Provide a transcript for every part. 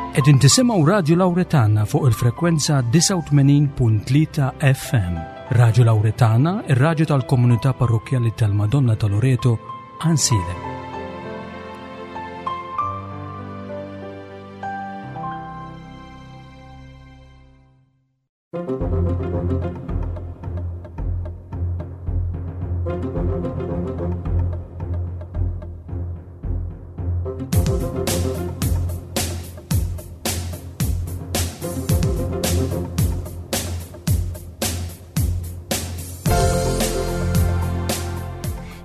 Qegħdin tisimgħu Radju Lawretana fuq il-frekwenza 89.3 FM. Radju Lawretana, ir-radju tal-komunità parrokkjali tal-Madonna ta' Loreto, Ansilem.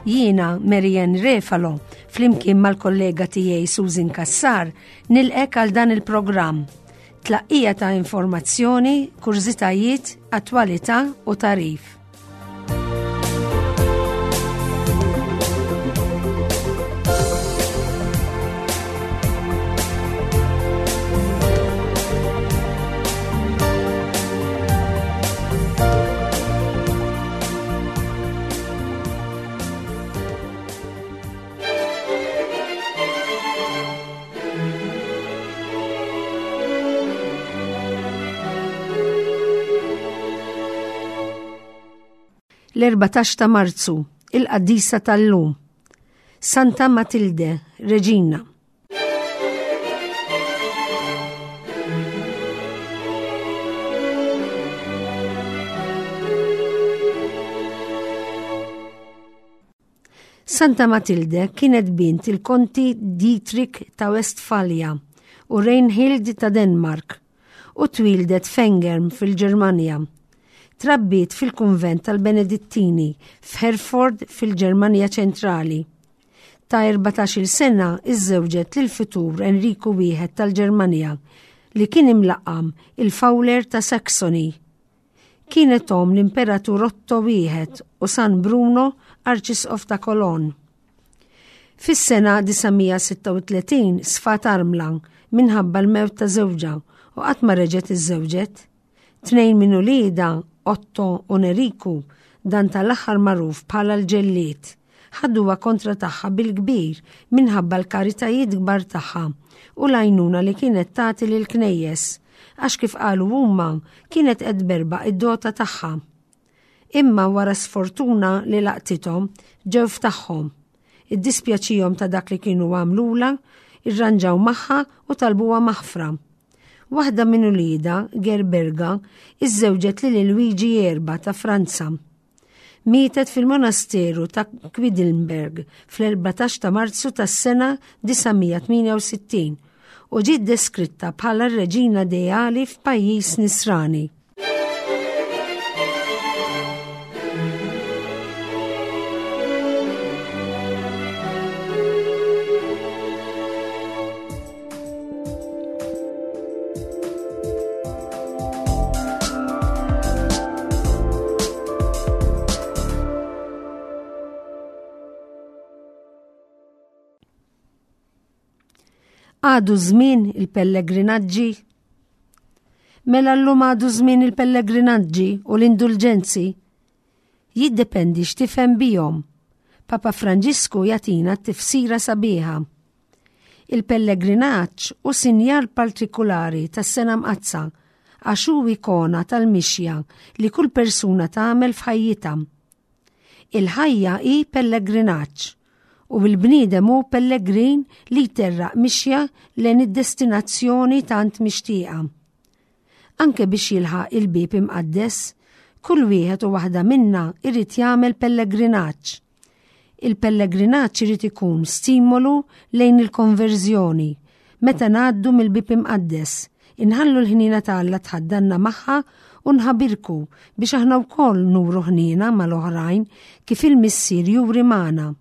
Jiena Marianne Refalo, flimkien mal-kollega tiegħi Susan Kassar, nilqek għal dan il-programm. Tlaqqija ta' informazzjoni, kurżitajiet, attwalità u tagħrif. L-14 ta' Marzu, il-qaddisa tal-lum. Santa Matilde, Reġina. Santa Matilde kienet bint il-Konti Dietrich ta' Westfalia u Reinhild ta' Denmark u twieldet f'Engern fil-Ġermanja. Trabbiet fil-kunvent tal-Benedittini f'Herford fil-Ġermanja ċentrali. Ta' 14-il sena iżżewġet lil futur Enriku wieħed tal-Ġermanja li kien imlaqqam il-Fowler ta' Saxony. Kienet omm l-Imperatur Otto wieħed u San Bruno, Arċisqof ta' Cologne. Fis-sena 936 sfat armla minħabba l-mewt ta' żewġha u qatt ma reġgħet iżżewġet. Tnejn minn uliedha, Otto u Neriku, dan tal-aħħar magħruf bħala l-ġellied, ħaduha kontra tagħha bil-kbir minħabba l-karitajiet kbar tagħha u l-għajnuna li kienet tagħti lill-knejjes, għax kif qalu huma kienet qed tberbaq id-dota tagħha. Imma wara sfortuna li laqtithom, ġew f'tagħhom. Iddispjaċihom ta' dak li kienu għamlulha, irranġaw magħha u talbuha maħfra. Waħda minn uliedha, Gerberga, iżżewġet lil Luigi Erba ta' Franza. Mietet fil-monasteru ta' Quedlinburg fl-14 ta' Marzu tas-sena 968 u ġiet deskritta bħala r-reġina ideali f'pajjiż Nisrani. Għadu żmien il-pellegrinaġġi? Mela llum għadu żmien il-pellegrinaġġi u l-indulġenzi? Jiddependi x'tifhem bihom. Papa Franġisku jagħtina t-tifsira sabiħa. Il-pellegrinaġġ hu sinjal partikulari tas-Sena Mqaddsa għax hu ikona tal-mixja li kull persuna tagħmel f'ħajjitha. Il-ħajja hi pellegrinaġġ u l-bniedem hu pellegrin li jterraq mixja lejn id-destinazzjoni tant mixtieqa. Anke biex jilħaq il-bieb imqaddes, kull wieħed u waħda minna jrid jagħmel pellegrinaġġ. Il-pellegrinaġġ irid ikun stimolu lejn il-konverżjoni, meta ngħaddu mill-bieb imqaddes, inħallu l-ħniena ta' Alla tħaddanna magħha u nħabirku biex aħna wkoll nuru ħniena mal-oħrajn kif il-Missier juri magħna.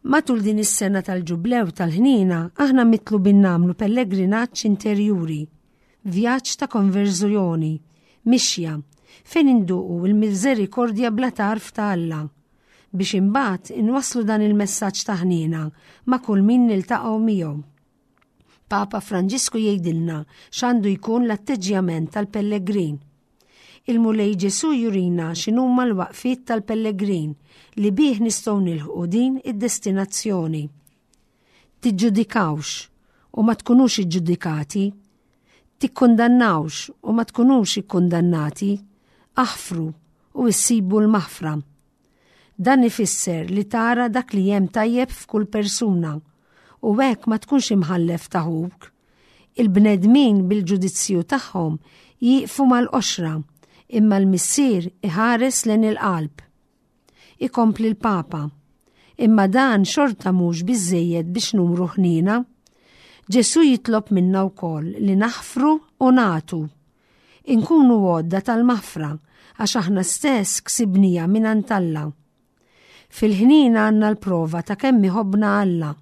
Matul din is-sena tal-Ġublew tal-Ħniena aħna mitlubin nagħmlu pellegrinaġġ interjuri, vjaġġ ta' konverżjoni, mixja, fejn induqu l-miżerikordja bla tarf ta' Alla, biex imbagħad inwasslu dan il-messaġġ ta' ħniena ma' kull min niltaqgħu miegħu. Papa Franġisku jgħidilna x'għandu jkun l-atteġġjament tal-pellegrin. Il-Mulej Ġesù jurina x'inhuma l-waqfiet tal-pellegrin li bih nistgħu nilħqu din id-destinazzjoni. Tiġġudikawx. u ma tkunux iġġudikati. Tikkundannawx u ma tkunux ikkundannati. Aħfru u issibu l-maħfra. Dan ifisser li tara dak li hemm tajjeb f'kull persuna u hekk ma tkunx imħallef ta' ħuk. Il-bnedmin bil-ġudizzju tagħhom jieqfu mal-qoxra, imma l-Missier iħares lejn il-qalb. Ikompli l-Papa. Imma dan xorta mhux biżżejjed biex nuru ħniena. Ġesù jitlob minna wkoll li naħfru u nagħtu. Inkunu għodda tal-maħfra għax aħna stess ksibnija mingħand Alla. Fil-ħniena għandna l-prova ta' kemm iħobbna Alla.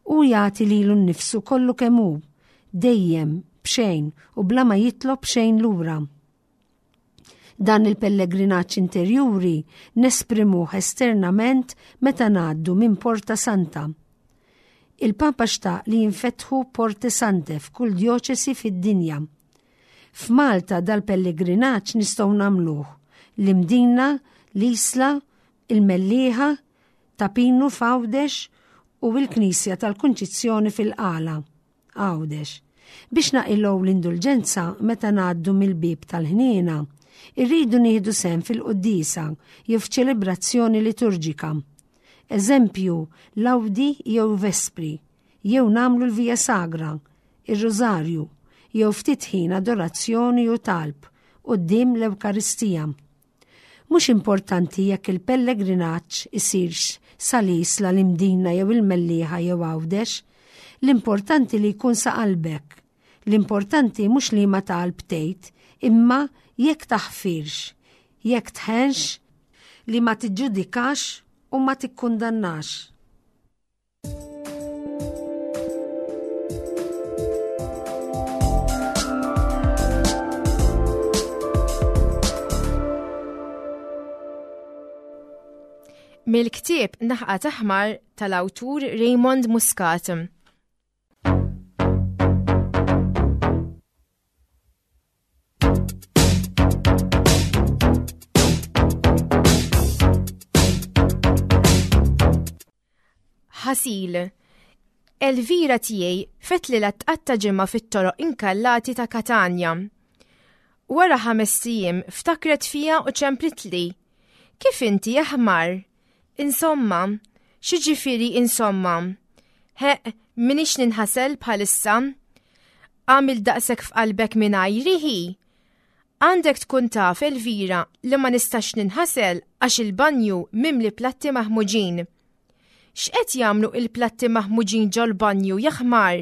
Hu jagħti lilu nnifsu kollu kemm hu, dejjem, b'xejn u bla ma jitlob xejn lura. Dan il-pellegrinaġġ interjuri nesprimuh esternament meta ngħaddu minn Porta Santa. Il-Papa xtaq li jinfetħu Porte Sante f'kull djoċesi fid-dinja. F'Malta dal-pellegrinaġġ nistgħu nagħmluh l-Imdina, l-Isla, il-Mellieħa, Ta' Pinu f'Għawdex u l-Knisja tal-Kunċizzjoni fil-Qala, Għawdex. Biex naqilgħu l-indulġenza meta ngħaddu mill-bieb tal-ħniena, irridu nieħdu sehem fil-quddiesa jew f'ċelebrazzjoni liturġika. Eżempju, lawdi jew vespri, jew nagħmlu l-Via Sagra, ir-Rużarju, jew ftit ħin adorazzjoni u talb quddiem l-Ewkaristija. Mhux importanti jekk il-pellegrinaġġ isirx sal-Isla, l-Imdina jew il-Mellieħa jew Għawdex. L-importanti li jkun sa qalbek. L-importanti mhux liema talb tgħid, imma jekk taħfirx, jekk tħenx, li ma tiġġudikax u ma tikkundannax. Mill-ktieb Naħqa Taħmar tal-awtur Raymond Muscat. Ħasil. Elvira tiegħi fetlilha tqatta' ġimgħa fit-toroq inkallati ta' Katanja. Wara ħamest ijiem ftakret fija u ċemplitli. Kif inti aħmar? Insomma, x'jiġifieri insomma? Ħeqq, m'iniex ninħasel bħalissa. Għamilt daqshekk f'qalbek mingħajri hi? Għandek tkun taf, Elvira, li ma nistax ninħasel għax il-banju mimli platti maħmuġin. X'qed jagħmlu il-platti maħmuġin ġol-banju, jaħmar?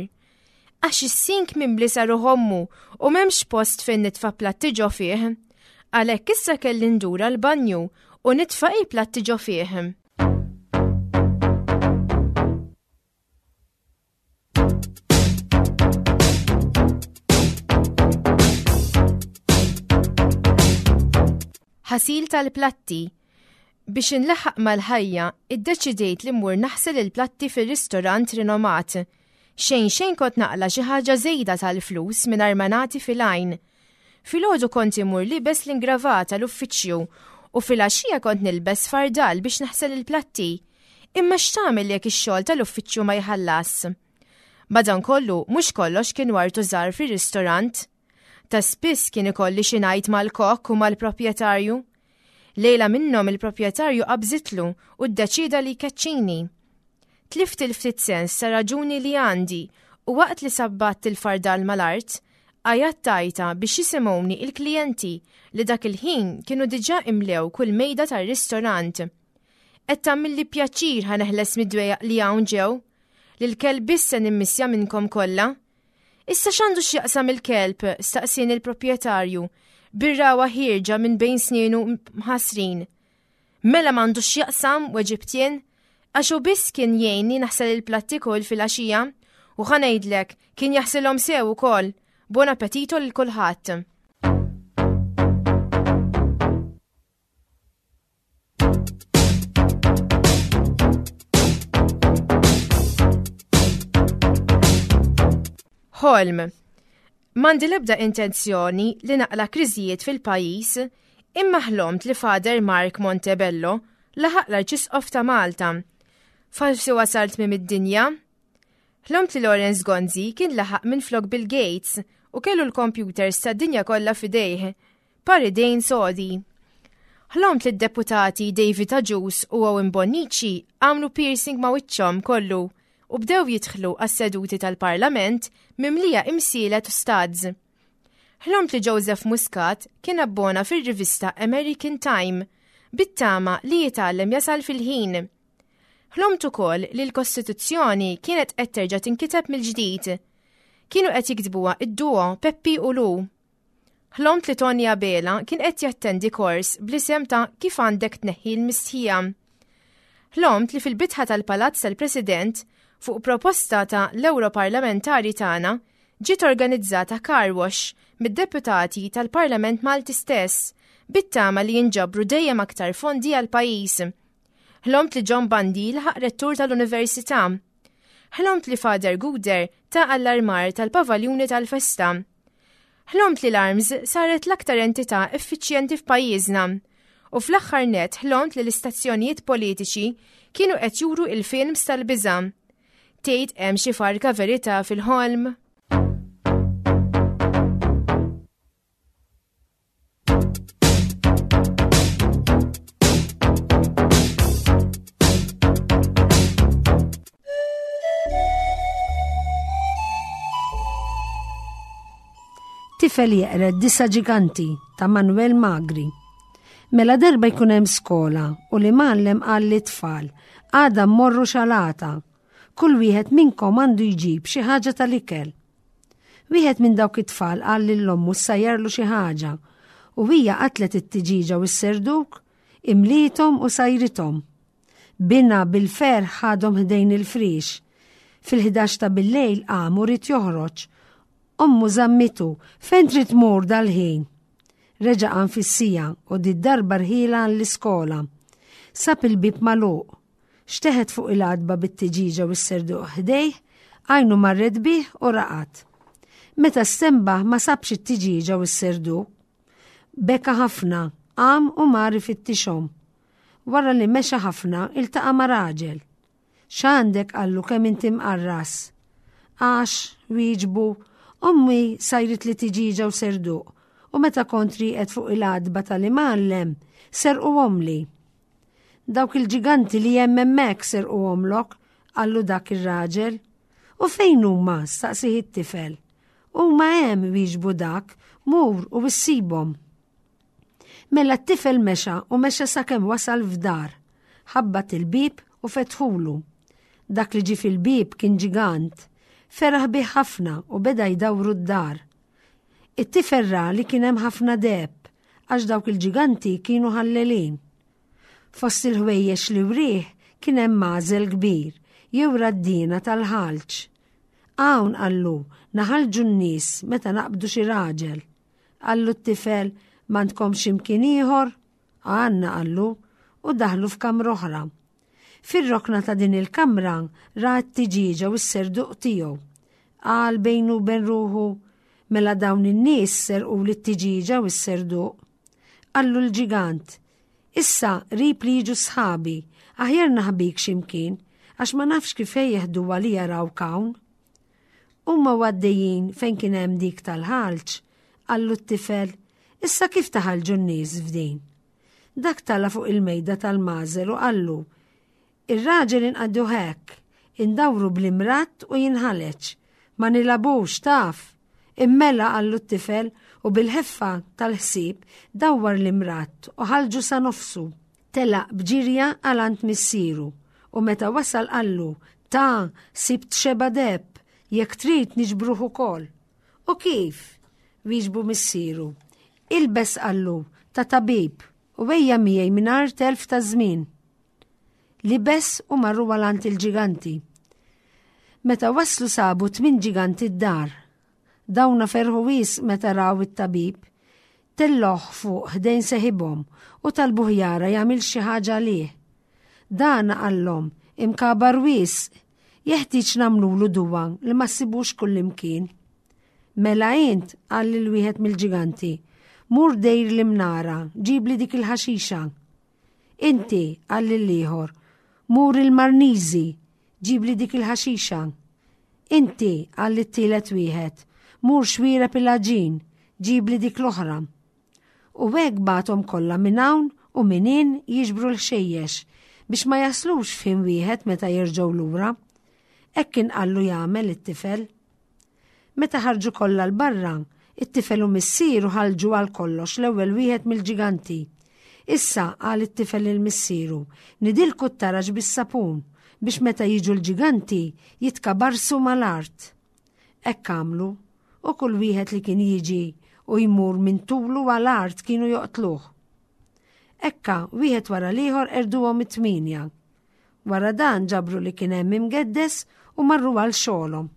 Għax is-sink mimli sa ruħ ommu u m'hemmx post fejn nitfa' platti ġo fih. Għalhekk issa kelli ndur għall-banju u nitfa' il-platti ġo fih. Ħasil tal-platti. Biex inlaħħaq mal-ħajja, iddeċidejt li mmur naħsel il-platti fir-ristorant rinomat. Xejn xejn kont naqla' xi ħaġa żejda tal-flus mingħajr ma nagħti fil-għajn. Filgħodu kont immur liebes l-ingravata l-uffiċċju u filgħaxija kont nilbes fardal biex naħsel il-platti. Imma x'tagħmel jekk ix-xogħol tal-uffiċċju ma jħallas? Madankollu, mhux kollox kien wartu żgħar fir-ristorant. Ta' spiss kien ikolli xi ngħid mal-kok u mal-proprjetarju. Lejla minnhom il-proprjetarju qabżitlu u ddeċieda li jkeċċini. Tlift il-ftit sens ta' raġuni li għandi u waqt li sabbatt il-fardal mal-art, għajjatt għajta biex jisimgħuni il-klijenti li dak il-ħin kienu diġà imlew kull mejda tar-ristorant. Qed tagħmilli pjaċir ħa neħles mid-dwejjaq li hawn ġew. Lil kelb biss se nimmissja minnkom kollha. Issa x'għandu x'jaqsam il-kelb? staqsieni l-proprjetarju, bir-ragħwa ħierġa minn bejn snienu mħassrin. Mela m'għandux x'jaqsam, weġibt jien, għax hu biss kien jgħinni naħsel il-platti kull filgħaxija u ħa ngħidlek, kien jaħsilhom sew ukoll. Buon appetito lil kulħadd. Ħolm. M'għandi l-ebda intenzjoni li naqla kriżijiet fil-pajjiż, imma ħlomt li Father Mark Montebello laħaq l-Arċisqof ta' Malta. Forsi wasalt minn id-dinja? Ħlomt li Lawrence Gonzi kien laħaq minflok Bill Gates u kellu l-computers tad-dinja kollha f'idejh, par idejn sodi. Ħlomt li d-deputati David Agius u Owen Bonnici għamlu piercing ma' wiċċhom kollu u bdew jidħlu għas-seduti tal-Parlament mimlija imsielet u studs. Ħlomt li Joseph Muscat kien abbona fir-rivista American Time bit-tama li jitgħallem jasal fil-ħin. Ħlomt ukoll li l-Kostituzzjoni kienet qed terġa' tinkiteb mill-ġdid. Kienu qed jiktbuha id-duo Peppi u Lu. Ħlomt li Tony Abela kien qed jattendi kors bl-isem ta' Kif għandek tneħħi l-mistħija. Ħlomt li fil-bitħa tal-Palazz tal-President, fuq proposta ta' l-Ewroparlamentari tagħna, ġiet organizzata car wash mid-deputati tal-Parlament Malti stess, bit-tama li jinġabru dejjem aktar fondi għall-pajjiż. Ħlomt li John Bundy laħaq rettur tal-Università. Ħlomt li Father Guder ta' allarmar tal-pavaljuni tal-festa. Ħlomt li l-ARMS saret l-aktar entità effiċjenti f'pajjiżna. U fl-aħħar net ħlomt li l-istazzjonijiet politiċi kienu qed juru il-films tal-biża'. Tgħid hemm xi farka verità fil-ħolm? Tifel jeqred disa ġiganti ta' Manuel Magri. Mela darba jkun hemm skola u li mgħallem qal li tfal għada mmorru xalata. Kull wieħed minnkom għandu jġib xi ħaġa tal-ikel. Wieħed minn dawk it-tfal qal lil ommu ssajjarlu xi ħaġa u hija qatlet it-tiġieġa u s-serduk, imliethom u sajrithom. Binha bil-ferħ ħadhom ħdejn il-friex. Fil-ħdax ta' billejl qam u ried joħroġ. Ommu żammitu, fejn trid tmur dal-ħin? Reġa' qam fis-siegħa u did-darba rħielha għall-iskola. Sab il-bieb magħluq. Xteħet fuq il-għatba bit-tiġieġa u s-serduq ħdejh, għajnu marret bih u raqad. Meta stenbaħ ma sabx it-tiġieġa u s-serduq. Beka ħafna, qam u mar ifittixhom. Wara li mexa ħafna, iltaqa' ma' raġel. X'għandek qallu kemm inti mqarras? Għax, wieġbu, ommi sajritli tiġieġa u serduq u meta kont rieqed fuq il-għatba tal-imgħallem, serquhomli. Dawk il-ġiganti li hemm hemmhekk serquhomlok, qallu dak ir-raġel. U fejn huma? staqsih it-tifel. Huma hemm, wieġbu dak, mur u issibhom. Mela t-tifel mexa u mexa sakemm wasal f'dar. Ħabbat il-bieb u fetħulu. Dak li ġie fil-bieb kien ġigant. Feraħ bih ħafna u beda jdawru d-dar. It-tifel ra li kien hemm ħafna deheb, għax dawk il-ġiganti kienu ħallelin. Fost il-ħwejjeġ li wrieh kien hemm magħżel kbir, jew raddiena tal-ħalġ. Hawn, qallu, naħalġu n-nies meta naqbdu xi raġel. Qallu t-tifel, m'għandkomx imkien ieħor? Għandna, qallu, u daħlu f'kamra oħra. Fir-rokna ta' din il-kamra ra t-tiġieġa u s-serduq tiegħu. Qal bejnu u bejn ruħu, mela dawn in-nies serquli t-tiġieġa u s-serduq. Qallu l-ġigant, issa qrib li jiġu sħabi, aħjar naħbik xi mkien, għax ma nafx kif jeħduha li jarawk hawn. Huma u għaddejjin fejn kien hemm dik tal-ħalġ, qallu t-tifel, issa kif taħalġu n-nies f'din? Dak tala' fuq il-mejda tal-magħżel u qallu, Ir-raġel inqadduh hekk, indawru bl-imratt u jinħaleġ. Ma nilagħbux, taf! Immela, qallu t-tifel, u bil-ħeffa tal-ħsieb dawwar l-imratt u ħalġu sa nofsu. Telaq b'ġirja għal għand missieru u meta wasal qallu, Ta, sibt xebgħa deheb, jekk trid niġbruh ukoll. U kif? wieġbu missieru. Ilbes qallu, ta' tabib, u ejja miegħi mingħajr telf ta' żmien. Libes u marru għal għand il-ġiganti. Meta waslu sabu tmin ġiganti d-dar. Dawna ferħu wisq meta raw it-tabib. Tellgħuh fuq ħdejn seħibhom u talbuh jara jagħmilx xi ħaġa għalih. Dan qallhom, imkabar wisq, jeħtieġ nagħmlulu duwa li ma ssibux kullimkien. Mela int, qal lil wieħed mill-ġiganti, mur dejr l-imnara, ġibli dik il-ħaxixa. Inti, qal lill-ieħor, mur il-Marniżi, ġibli dik il-ħaxixa. Inti, qal lit-tielet wieħed, mur xwiereb il-għaġin, ġibli dik l-oħra. U hekk bagħathom kollha minn hawn u minn hinn jiġbru l-ħxejjex biex ma jaslux f'ħin wieħed meta jerġgħu lura. Hekk kien qallu jagħmel it-tifel. Meta ħarġu kollha 'l barra, it-tifel u missieru ħalġu għal kollox l-ewwel wieħed mill-ġiganti. Issa, qal it-tifel lil missieru, nidilku t-taraġ bis-sapun biex meta jiġu l-ġiganti jitkabarsu mal-art. Hekk għamlu, u kull wieħed li kien jiġi u jmur minn tulu għal art kienu joqtluh. Ekka, wieħed wara l-ieħor erduhom it-tmienja. Wara dan ġabru li kien hemm imgeddes u marru għal xogħolhom.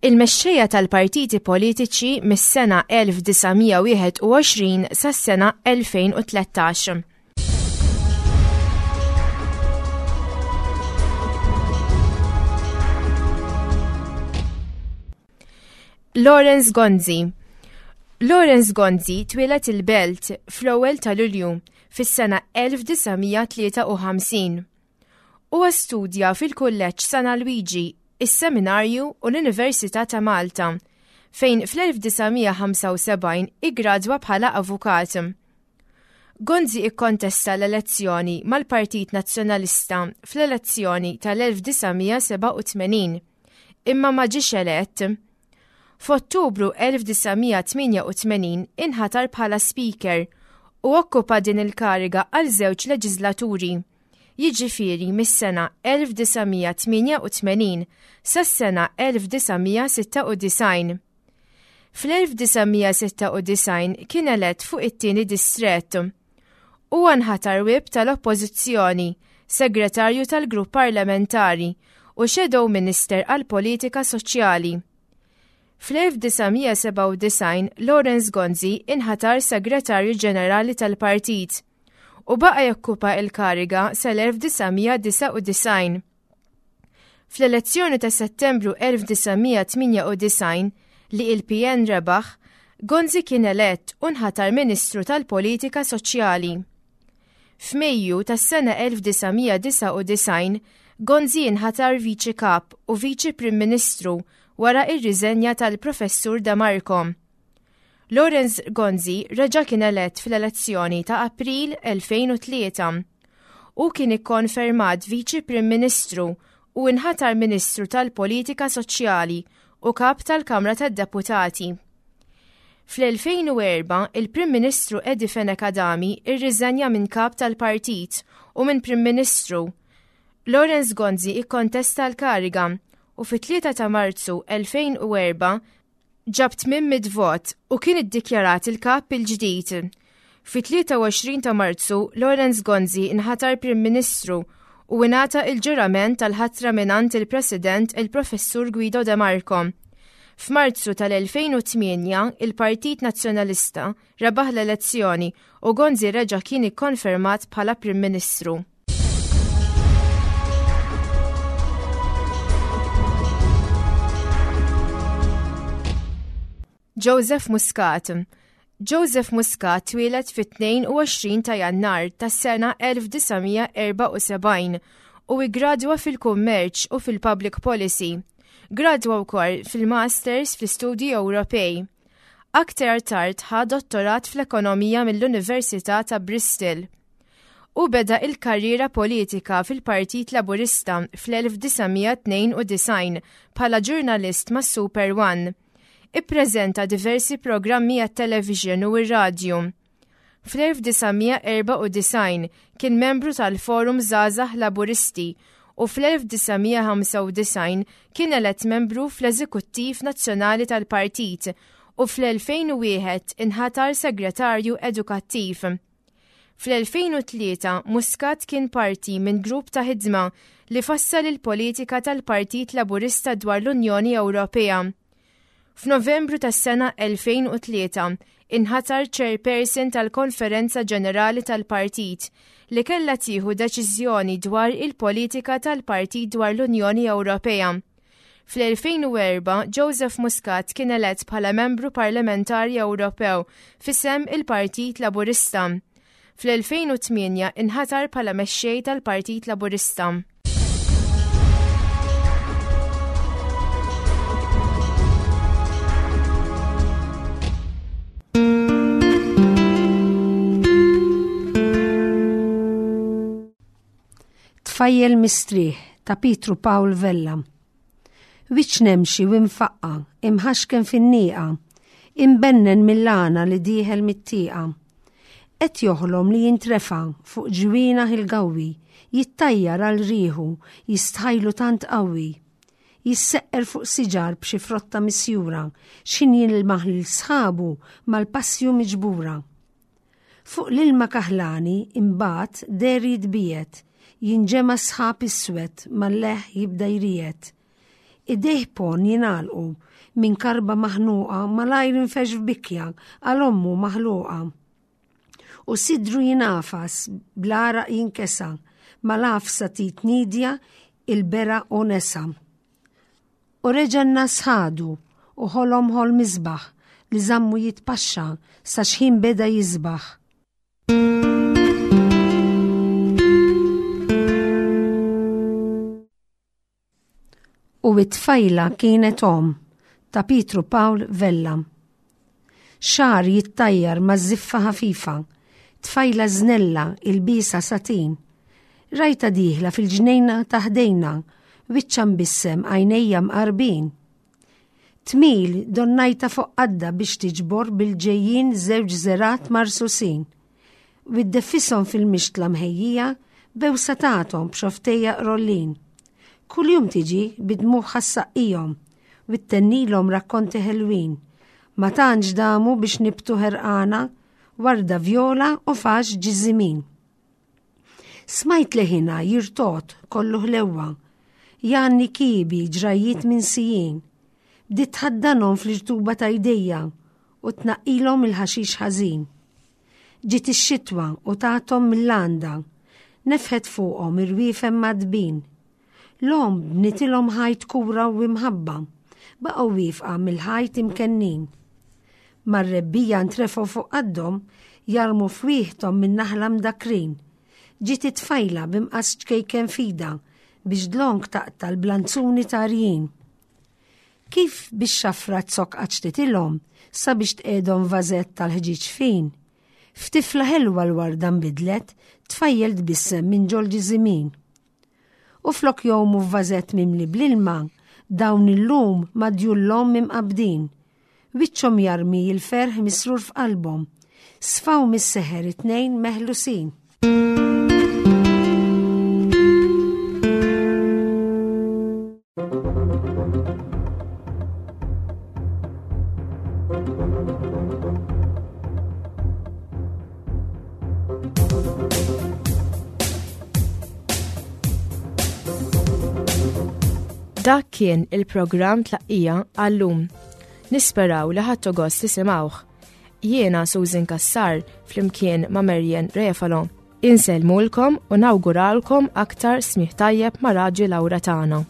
Il-mexxejja tal-partiti politiċi mis-sena 1921 sas-sena 2013. Lawrence Gonzi Lawrence Gonzi twieled il-Belt fl-ewwel ta' Lulju fis-sena 1953. Huwa studja fil-Kulleġġ San Alwiġi, is-Seminarju u l-Università ta' Malta, fejn fl-1975 iggradwa bħala avukat. Gonzi ikkontesta l-elezzjoni mal-Partit Nazzjonalista fl-elezzjoni tal-1987, imma ma ġiex elett. F'Ottubru 1988 inħatar bħala Speaker u okkupa din il-kariga għal żewġ leġislaturi, jiġifieri mis-sena 1988 sas-sena 1996. Fl-1996 kien elett fuq it-tieni distrett. Huwa nħatar whip tal-Oppożizzjoni, Segretarju tal-Grupp Parlamentari u Shadow Minister għall-Politika Soċjali. Fl-1997 Lawrence Gonzi inħatar Segretarju Ġenerali tal-Partit u baqa' jokkupa l-kariga sal-1999. Fl-elezzjoni ta' Settembru 1998 li il-PN rebaħ, Gonzi kien elett u nħatar Ministru tal-Politika Soċjali. F'Mejju tas-sena 1999, Gonzi nħatar Viċi Kap u Viċi Prim Ministru wara ir-riżenja tal-Professur De Marco. Lawrence Gonzi reġa' kien elett fl-elezzjoni ta' April 2003. Hu kien ikkonfermat Viċi Prim Ministru u inħatar Ministru tal-Politika Soċjali u Kap tal-Kamra tad-Deputati. Fl-2004, il-Prim Ministru Eddie Fenech Adami rriżenja minn Kap tal-Partit u minn Prim Ministru. Lawrence Gonzi ikkontesta l-kariga u fit-3 ta' Marzu 2004 ġab 800 vot u kien iddikjarat il-kap il-ġdid. Fit-23 ta' Marzu, Lawrence Gonzi nħatar Prim Ministru u ingħata il-ġurament tal-ħatra mingħand il-President il-Professur Guido De Marco. F'Marzu tal-2008, il-Partit Nazzjonalista rebaħ l-elezzjoni u Gonzi reġa' kien ikkonfermat bħala Prim Ministru. Joseph Muscat Joseph Muscat twieled fit-22 ta' Jannar tas-sena 1974 u iggradwa fil-Kummerċ u fil-Public Policy. Gradwa wkoll fil-Masters fl-Istudji Ewropej. Aktar tard ħa dottorat fl-Ekonomija mill-Università ta' Bristol. Hu beda il-karriera politika fil-Partit Laburista fl-1992 bħala ġurnalist ma' Super One. Ippreżenta diversi programmi għat-television u r-radju. Fl-1994 kien membru tal-Forum Żgħażagħ Laburisti u fl-1995 kien elett membru fl-Eżekuttiv Nazzjonali tal-Partit u fl-2001 inħatar Segretarju Edukattiv. Fl-2003 Muscat kien parti minn grupp ta' ħidma li fassal il-politika tal-Partit Laburista dwar l-Unjoni Ewropea. F'Novembru tas-sena 2003 inħatar Chairperson tal-Konferenza Ġenerali tal-Partit li kellha tieħu deċiżjoni dwar il-politika tal-partit dwar l-Unjoni Ewropea. Fl-2004 Joseph Muscat kien elett bħala Membru Parlamentari Ewropew f'isem il-Partit Laburista. Fl-2008 inħatar bħala Mexxej tal-Partit Laburista. Tfajjel mistrieħ ta' Pietru Pawl Vella. Wiċċ nemxi u imfaqqa, imħaxken fin-nieqa, imbennen mill-għana li dieħel mit-tieqa. Qed joħlom li jintrefa' fuq ġwienaħ il-gawwi, jittajjar għal riħu, jistħajlu tant qawwi. Jisseqqer fuq siġar b'xi frotta misjura, x'ħin jilmaħ lil sħabu mal-passju miġbura. Fuq l-ilma kaħlani imbagħad deher jitbiegħed, jinġema' sħab iswed mal-leħ jibda jriegħed. Idejh ponn jingħalqu, minn karba maħnuqa malajr infexx f'bikja għal ommu maħluqa. U sidru jingħafas, bl-għaraq jinkesa, mal-għafsa tit nidja il-bera u nesa. U reġa' n-nas ħadu u ħolom ħolm isbaħ li żammu jitpaxxa sa xħin beda jisbaħ. U it-tfajla kienet omm ta' Pietru Pawl Vella. Xagħar jittajjar ma' żiffa ħafifa, tfajla żnella ilbiesha satin. Rajtha dieħla fil-ġnejna ta' ħdejna, wiċċha mbissem għajnejja mqarbin. Tmil donnajta fuq qadda biex tiġbor bil-ġejjin żewġ żergħat marsusin. U iddeffishom fil-mixtla mħejjija bewsa tagħthom b'xofftejja qrollin. Kuljum tiġi bi dmugħha ssaqqihom u ttennilhom rakkonti ħelwin. Ma tantx damu biex nibtu ħerqana warda vjola u fax ġiżimin. Smajt leħinha jirtogħod kollu ħlewwa, jgħanni kiebi ġrajjiet minsijin. Bdiet tħaddanhom fl-irtuba ta' jdejja u tnaqqilhom il-ħaxix ħażin. Ġiet ix-xitwa u tathom mill-għanda, nefħet fuqhom irwiefen mgħaddbin. L-omm bnitilhom ħajt kura u imħabba, baqgħu wiefqa mill-ħajt imkennin. Mar-rebbiegħa ntrefgħu fuq qaddhom, jarmu fwieħthom min-naħla mdakkrin. Ġiet it-tfajla b'imqass ċkejken f'idha biex dlonk taqta' l-blanzuni tarjin. Kif bix-xafra z-zokk qaċċtitilhom sabiex tqiegħdhom f'vażett tal-ħġieġ fin. F'tifla ħelwa l-warda nbidlet, tfajjel tbissem minn ġol-ġiżimin. U flok jgħumu f'vażett mimli bl-ilma, dawn illum ma' djul l-omm imqabbdin. Wiċċhom jarmi l-ferħ misrur f'qalbhom. Sfaw mis-seħer it-tnejn meħlusin. Dak kien il-programm tlaqqija għallum. Nisperaw li ħadtu gost tisimgħuh. Jiena Susan Cassar flimkien ma' Marian Refalo. Insellmulkom u nawguralkom aktar smigħ tajjeb ma' Raġi Laura tagħna.